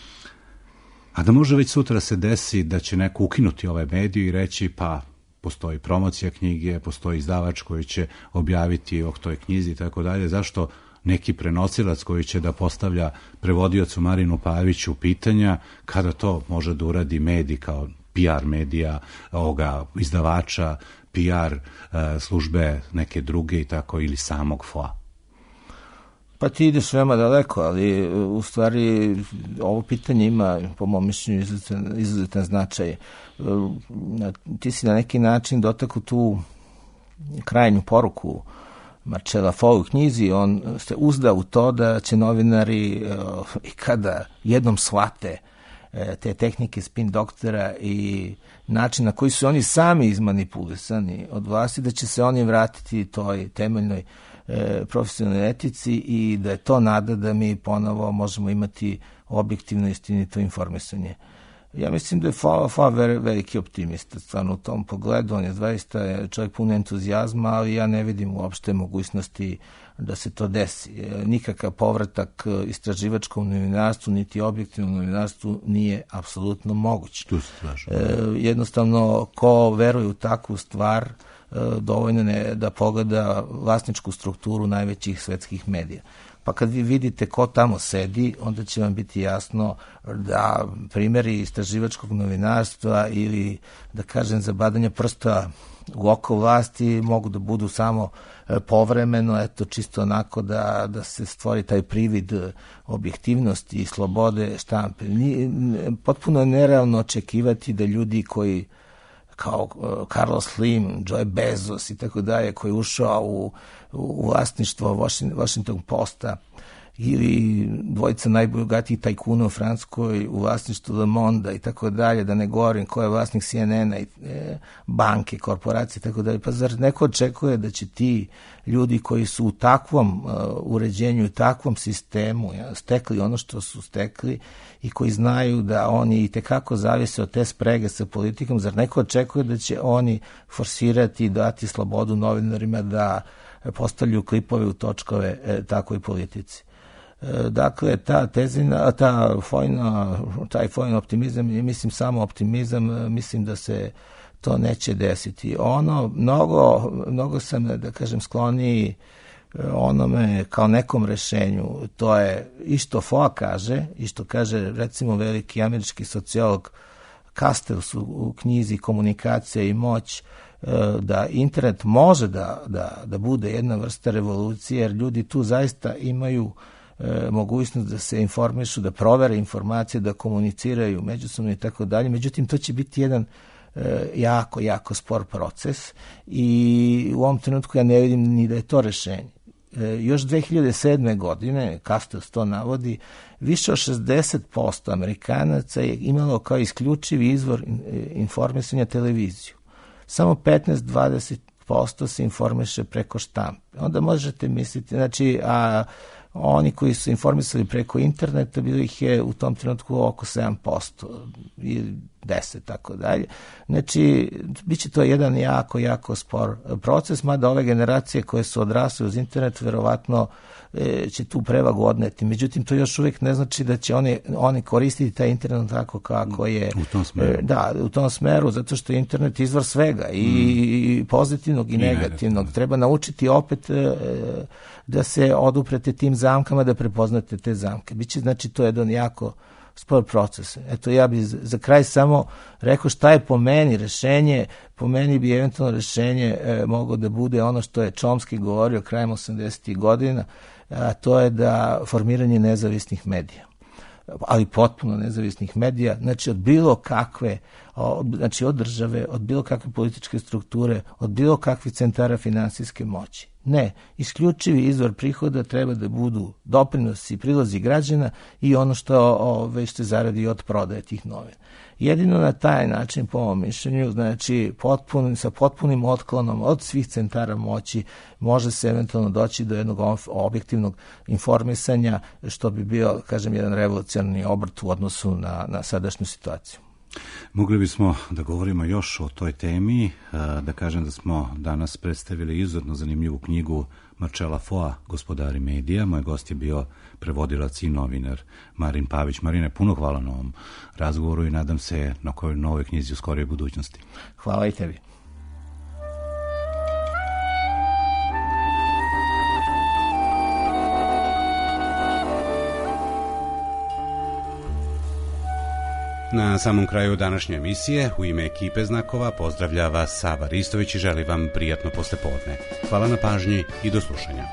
a da može već sutra se desi da će neko ukinuti ovaj mediju i reći pa postoji promocija knjige, postoji izdavač koji će objaviti o toj knjizi i tako dalje. Zašto neki prenosilac koji će da postavlja prevodiocu Marinu Paviću pitanja, kada to može da uradi medij kao PR medija, ovoga izdavača, PR službe neke druge i tako, ili samog Foa? Pa ti ideš veoma daleko, ali u stvari ovo pitanje ima, po mom mišljenju, izuzetan značaj. Ti si na neki način dotakao tu krajnju poruku Marcela Foa u knjizi. On se uzda u to da će novinari i kada jednom shvate te tehnike spin doktora i način na koji su oni sami izmanipulisani od vlasti, da će se oni vratiti toj temeljnoj profesionalnoj etici i da je to nada da mi ponovo možemo imati objektivno istinito informisanje. Ja mislim da je Foa veliki optimista stvarno u tom pogledu. On je zaista čovjek pun entuzijazma, ali ja ne vidim uopšte mogućnosti da se to desi. Nikakav povratak istraživačkom novinarstvu niti objektivnom novinarstvu nije apsolutno moguć. Jednostavno, ko veruje u takvu stvar, dovoljno je da pogleda vlasničku strukturu najvećih svetskih medija. Pa kad vi vidite ko tamo sedi, onda će vam biti jasno da primjeri istraživačkog novinarstva ili, da kažem, zabadanja prsta u oko vlasti mogu da budu samo povremeno, eto, čisto onako da se stvori taj privid objektivnosti i slobode štampe. Potpuno je nerealno očekivati da ljudi koji kao Carlos Slim, Joe Bezos i tako dalje, koji je ušao u vlasništvo Washington Posta ili dvojica najbogatijih tajkuna u Francuskoj u vlasništvu Le Monde i tako dalje, da ne govorim ko je vlasnik CNN-a i banke, korporacije i tako dalje. Pa zar neko očekuje da će ti ljudi koji su u takvom uređenju, u takvom sistemu stekli ono što su stekli i koji znaju da oni i tekako zavise od te sprege sa politikom, zar neko očekuje da će oni forsirati i dati slobodu novinarima da postavljaju klipove u točkove takvoj politici? Dakle, taj fojni optimizam, mislim samo optimizam, mislim da se to neće desiti. Mnogo sam, da kažem, skloniji onome kao nekom rešenju. To je i što FOA kaže, i što kaže recimo veliki američki sociolog Castells u knjizi Komunikacija i moć, da internet može da bude jedna vrsta revolucije, jer ljudi tu zaista imaju mogućnost da se informišu, da provere informacije, da komuniciraju međusobno i tako dalje. Međutim, to će biti jedan jako spor proces i u ovom trenutku ja ne vidim ni da je to rešenje. Još 2007. godine, Castells to navodi, više od 60% Amerikanaca je imalo kao isključivi izvor informisanja televiziju. Samo 15-20% se informiše preko štampe. Onda možete misliti, znači, oni koji su informisali preko interneta, bilo ih je u tom trenutku oko 7% ili 10, tako dalje. Znači, bit će to jedan jako spor proces, mada ove generacije koje su odrasle uz internet verovatno će tu prevagu odneti. Međutim, to još uvijek ne znači da će oni koristiti taj internet tako kako je. U tom smeru. Da, u tom smeru, zato što je internet izvor svega, i pozitivnog i negativnog. Treba naučiti opet da se oduprete tim zamkama, da prepoznate te zamke. Biće, znači, to je jedan jako spor proces. Eto, ja bih za kraj samo rekao šta je po meni rešenje. Po meni bi eventualno rešenje moglo da bude ono što je Chomsky govorio krajem 80. godina, a to je da formiranje nezavisnih medija, ali potpuno nezavisnih medija, znači od bilo kakve, znači od države, od bilo kakve političke strukture, od bilo kakvih centara finansijske moći. Ne, isključivi izvor prihoda treba da budu doprinosi i prilozi građana i ono što se zaradi od prodaje tih novina. Jedino na taj način, po mom mišljenju, znači sa potpunim otklonom od svih centara moći može se eventualno doći do jednog objektivnog informisanja, što bi bio, kažem, jedan revolucionarni obrt u odnosu na sadašnju situaciju. Mogli bismo da govorimo još o toj temi, da kažem da smo danas predstavili izuzetno zanimljivu knjigu Marcela Foa, Gospodari medija. Moj gost je bio prevodilac i novinar Marin Pavić. Marine, puno hvala na ovom razgovoru i nadam se na kojoj novoj knjizi u skorijoj budućnosti. Hvala i tebi. Na samom kraju današnje emisije, u ime ekipe Znakova, pozdravlja vas Sava Ristović i želi vam prijatno poslepodne. Hvala na pažnji i do slušanja.